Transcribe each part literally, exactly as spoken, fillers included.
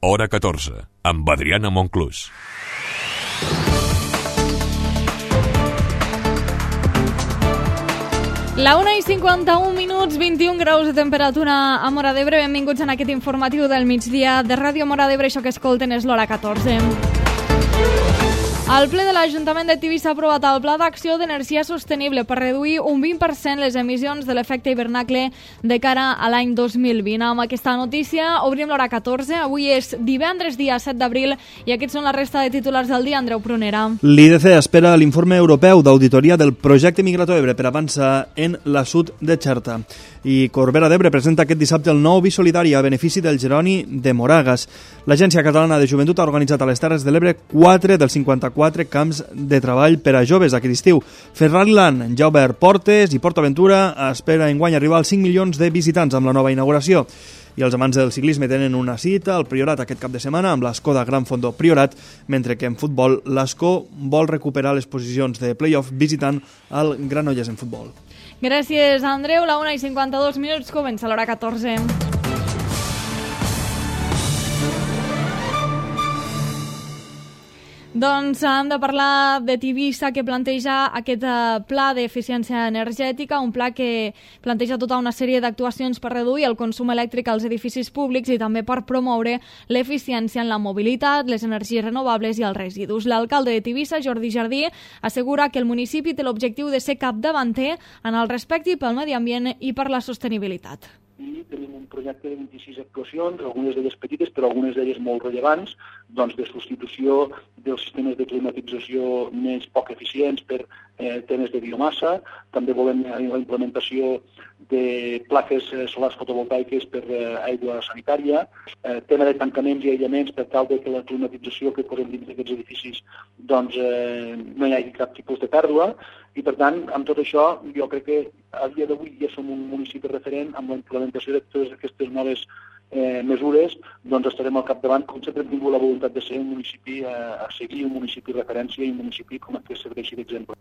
Hora catorze, amb Adriana Monclús. La una i cinquanta-un minuts, vint-i-un graus de temperatura a Móra d'Ebre. Benvinguts en aquest informatiu del migdia de Ràdio Móra d'Ebre. Això que escolten és l'Hora catorze. El ple de l'Ajuntament de Tivissa ha aprovat el Pla d'Acció d'Energia Sostenible per reduir un vint per cent les emissions de l'efecte hivernacle de cara a l'any dos mil vint. Amb aquesta notícia obrim l'Hora catorze. Avui és divendres, dia set d'abril, i aquests són la resta de titulars del dia. Andreu Prunera. L'I D C espera l'informe europeu d'auditoria del projecte Migrato Ebre per avançar en l'assut de Xerta. I Corbera d'Ebre presenta aquest dissabte el nou Bisolidari a benefici del Jeroni de Moragas. L'Agència Catalana de Joventut ha organitzat a les Terres de l'Ebre quatre dels cinquanta-quatre camps de treball per a joves aquest estiu. Ferrari Land ja ha obert portes i PortAventura espera enguany arribar als cinc milions de visitants amb la nova inauguració. I els amants del ciclisme tenen una cita al Priorat aquest cap de setmana amb l'Skoda Gran Fondo Priorat, mentre que en futbol l'Escó vol recuperar les posicions de play-off visitant el Granollers en futbol. Gràcies, Andreu. La una i cinquanta-dos minuts, comença l'Hora catorze. Doncs hem de parlar de Tivissa, que planteja aquest pla d'eficiència energètica, un pla que planteja tota una sèrie d'actuacions per reduir el consum elèctric als edificis públics i també per promoure l'eficiència en la mobilitat, les energies renovables i els residus. L'alcalde de Tivissa, Jordi Jardí, assegura que el municipi té l'objectiu de ser capdavanter en el respecte pel medi ambient i per la sostenibilitat. I tenim un projecte de vint-i-sis actuacions, algunes d'elles petites, però algunes d'elles molt rellevants, doncs de substitució dels sistemes de climatització més poc eficients per eh, temes de biomassa. També volem la implementació de plaques solars fotovoltaiques per eh, aigua sanitària, eh, tema de tancaments i aïllaments per tal de que la climatització que posem dins d'aquests edificis doncs, eh, no hi hagi cap tipus de pèrdua. I, per tant, amb tot això, jo crec que a dia d'avui ja som un municipi referent amb la implementació de totes aquestes noves eh, mesures, doncs estarem al capdavant, com sempre hem tingut la voluntat de ser un municipi eh, a seguir, un municipi referència i un municipi com a que serveixi d'exemple.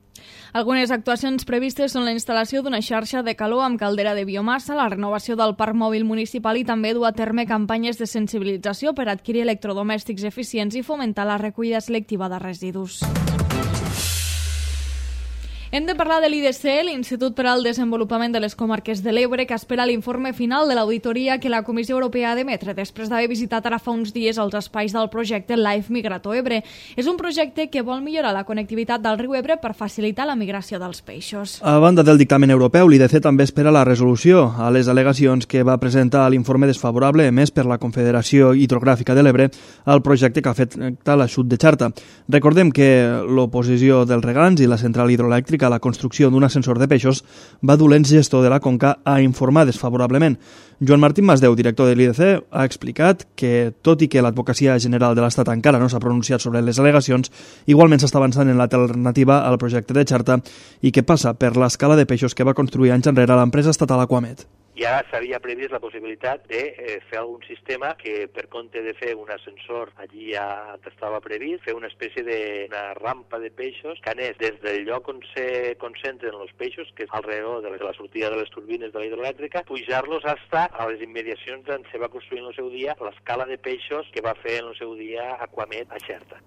Algunes actuacions previstes són la instal·lació d'una xarxa de calor amb caldera de biomassa, la renovació del parc mòbil municipal i també dur a terme campanyes de sensibilització per adquirir electrodomèstics eficients i fomentar la recollida selectiva de residus. Hem de parlar de l'I D C, l'Institut per al Desenvolupament de les Comarques de l'Ebre, que espera l'informe final de l'auditoria que la Comissió Europea ha d'emetre després d'haver visitat ara fa uns dies els espais del projecte Life Migrato Ebre. És un projecte que vol millorar la connectivitat del riu Ebre per facilitar la migració dels peixos. A banda del dictamen europeu, l'I D C també espera la resolució a les al·legacions que va presentar l'informe desfavorable emès per la Confederació Hidrogràfica de l'Ebre al projecte que afecta l'assut de Xerta. Recordem que l'oposició dels regants i la central hidroelèctrica a la construcció d'un ascensor de peixos va dur l'ens gestor de la Conca a informar desfavorablement. Joan Martín Masdeu, director de l'I D C, ha explicat que, tot i que l'Advocacia General de l'Estat encara no s'ha pronunciat sobre les al·legacions, igualment s'està avançant en l'alternativa al projecte de Xerta i que passa per l'escala de peixos que va construir anys enrere l'empresa estatal Aquamet. Ja s'havia previst la possibilitat de eh, fer algun sistema que, per compte de fer un ascensor allí ja estava previst, fer una espècie d'una rampa de peixos que anés des del lloc on se concentren els peixos, que és alrededor de la sortida de les turbines de la hidroelèctrica, pujar-los hasta a les immediacions on se va construir en el seu dia l'escala de peixos que va fer en el seu dia Aquamet a Xerta.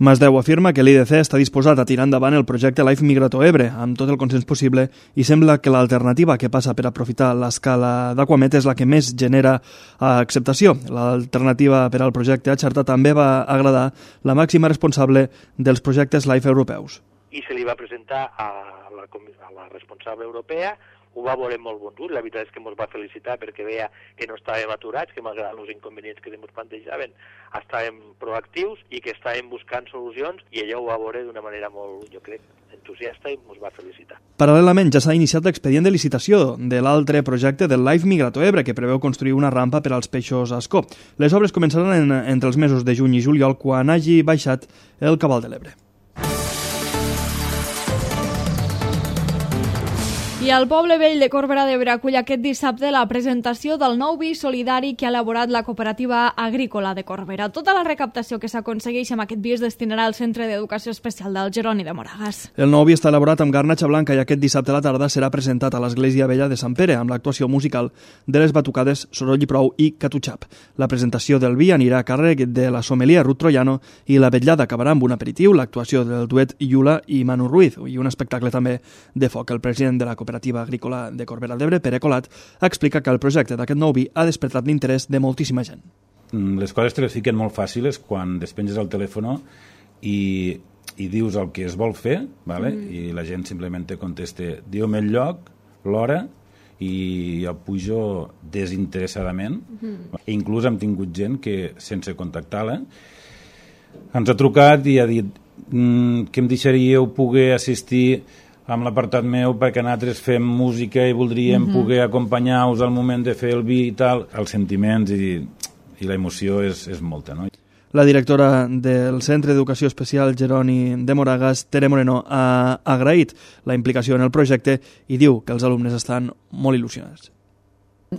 Masdeu afirma que l'I D C està disposat a tirar endavant el projecte Life Migrato Ebre amb tot el consens possible i sembla que l'alternativa que passa per aprofitar l'escala d'Aquamet és la que més genera acceptació. L'alternativa per al projecte a Xerta també va agradar la màxima responsable dels projectes Life europeus. I se li va presentar a la, a la responsable europea, ho va veure molt bon ús, la veritat és que ens va felicitar perquè veia que no estàvem aturats, que malgrat els inconvenients que ens plantejaven estàvem proactius i que estàvem buscant solucions i ella ho va veure d'una manera molt, jo crec, entusiasta i ens va felicitar. Paral·lelament ja s'ha iniciat l'expedient de licitació de l'altre projecte del Life Migrato Ebre que preveu construir una rampa per als peixos Ascó. Les obres començaran en, entre els mesos de juny i juliol quan hagi baixat el cabal de l'Ebre. I el Poble Vell de Corbera d'Ebre acull aquest dissabte la presentació del nou vi solidari que ha elaborat la Cooperativa Agrícola de Corbera. Tota la recaptació que s'aconsegueix amb aquest vi es destinarà al Centre d'Educació Especial del Jeroni de Moragas. El nou vi està elaborat amb garnatxa blanca i aquest dissabte a la tarda serà presentat a l'Església Vella de Sant Pere amb l'actuació musical de les batucades Soroll i Prou i Catuchap. La presentació del vi anirà a càrrec de la sommelier Ruth Troiano i la vetllada acabarà amb un aperitiu, l'actuació del duet Iula i Manu Ruiz i un espectacle també de foc. El president de la Cooperativa Agrícola de Corbera d'Ebre, Pere Colat, explica que el projecte d'aquest nou vi ha despertat l'interès de moltíssima gent. Les coses te les fiquen molt fàcils quan despenges el telèfon i, i dius el que es vol fer, vale? Mm. I la gent simplement te contesta, diu-me el lloc, l'hora, i jo pujo desinteressadament. Mm. I inclús hem tingut gent que, sense contactar-la, ens ha trucat i ha dit mm, que em deixaríeu poder assistir amb l'apartat meu perquè nosaltres fem música i voldríem mm-hmm. poder acompanyar-vos al moment de fer el vi i tal. Els sentiments i, i la emoció és, és molta, no? La directora del Centre d'Educació Especial Jeroni de Moragas, Tere Moreno, ha agraït la implicació en el projecte i diu que els alumnes estan molt il·lusionats.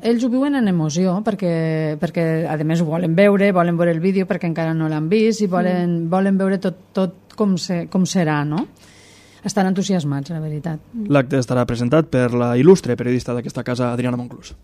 Ells ho viuen en emoció perquè, perquè a més ho volen veure, volen veure el vídeo perquè encara no l'han vist i volen, mm. volen veure tot, tot com, se, com serà, no? Estan entusiasmats, la veritat. L'acte estarà presentat per la il·lustre periodista d'aquesta casa, Adriana Monclús.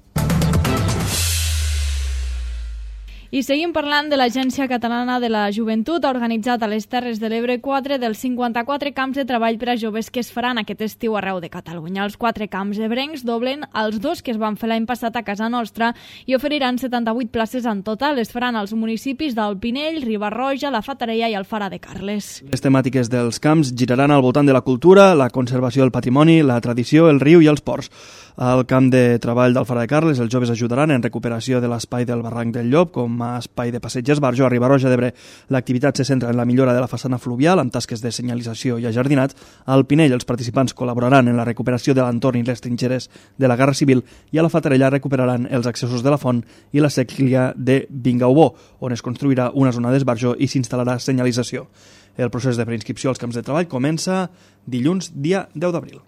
I seguim parlant de l'Agència Catalana de la Joventut. Ha organitzat a les Terres de l'Ebre quatre dels cinquanta-quatre camps de treball per a joves que es faran aquest estiu arreu de Catalunya. Els quatre camps ebrencs doblen els dos que es van fer l'any passat a casa nostra i oferiran setanta-vuit places en total. Es faran als municipis del Pinell, Riba-roja, la Fatarella i el Fara de Carles. Les temàtiques dels camps giraran al voltant de la cultura, la conservació del patrimoni, la tradició, el riu i els ports. Al camp de treball del Fara de Carles, els joves ajudaran en recuperació de l'espai del barranc del Llop com a espai de passeig esbarjo. A Riba-roja d'Ebre l'activitat se centra en la millora de la façana fluvial amb tasques de senyalització i ajardinat. Al Pinell els participants col·laboraran en la recuperació de l'entorn i les trinxeres de la Guerra Civil i a la Fatarella recuperaran els accessos de la font i la séquia de Vingaubó, on es construirà una zona d'esbarjo i s'instal·larà senyalització. El procés de preinscripció als camps de treball comença dilluns, dia deu d'abril.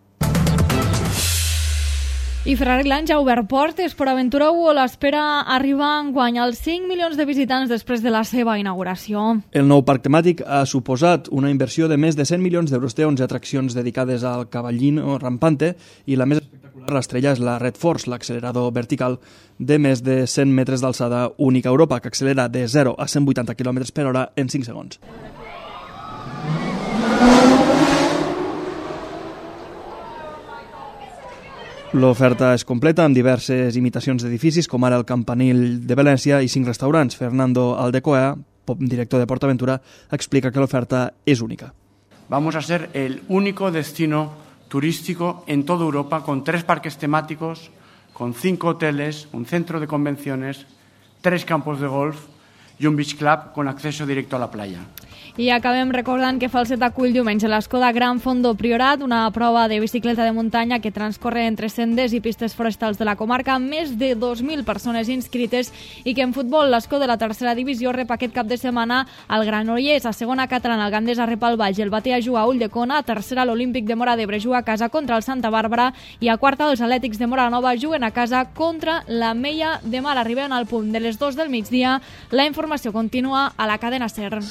I Ferrari Land ja ha obert portes, però Aventura World espera arribar enguany als cinc milions de visitants després de la seva inauguració. El nou parc temàtic ha suposat una inversió de més de cent milions d'euros. Té onze atraccions dedicades al cavallino rampante i la més espectacular, l'estrella, és la Red Force, l'accelerador vertical de més de cent metres d'alçada única a Europa, que accelera de zero a cent vuitanta quilòmetres per hora en cinc segons. L'oferta és completa amb diverses imitacions d'edificis, com ara el Campanil de València i cinc restaurants. Fernando Aldecoa, director de PortAventura, explica que l'oferta és única. Vamos a ser el único destino turístico en toda Europa con tres parques temáticos, con cinco hoteles, un centro de convenciones, tres campos de golf y un beach club con acceso directo a la playa. I acabem recordant que Falset acull diumenge l'Escoda Gran Fondo Priorat, una prova de bicicleta de muntanya que transcorre entre sendes i pistes forestals de la comarca, amb més de dos mil persones inscrites, i que en futbol l'Escó de la tercera divisió rep aquest cap de setmana al Granollers. A segona catalana el Gandesa rep el Valls, el Batea juga a Ulldecona, a tercera l'Olímpic de Móra d'Ebre juga a casa contra el Santa Bàrbara i a quarta els Atlètics de Móra Nova juguen a casa contra la Mella de Mar. Arribem al punt de les dues del migdia. La informació continua a la cadena SER.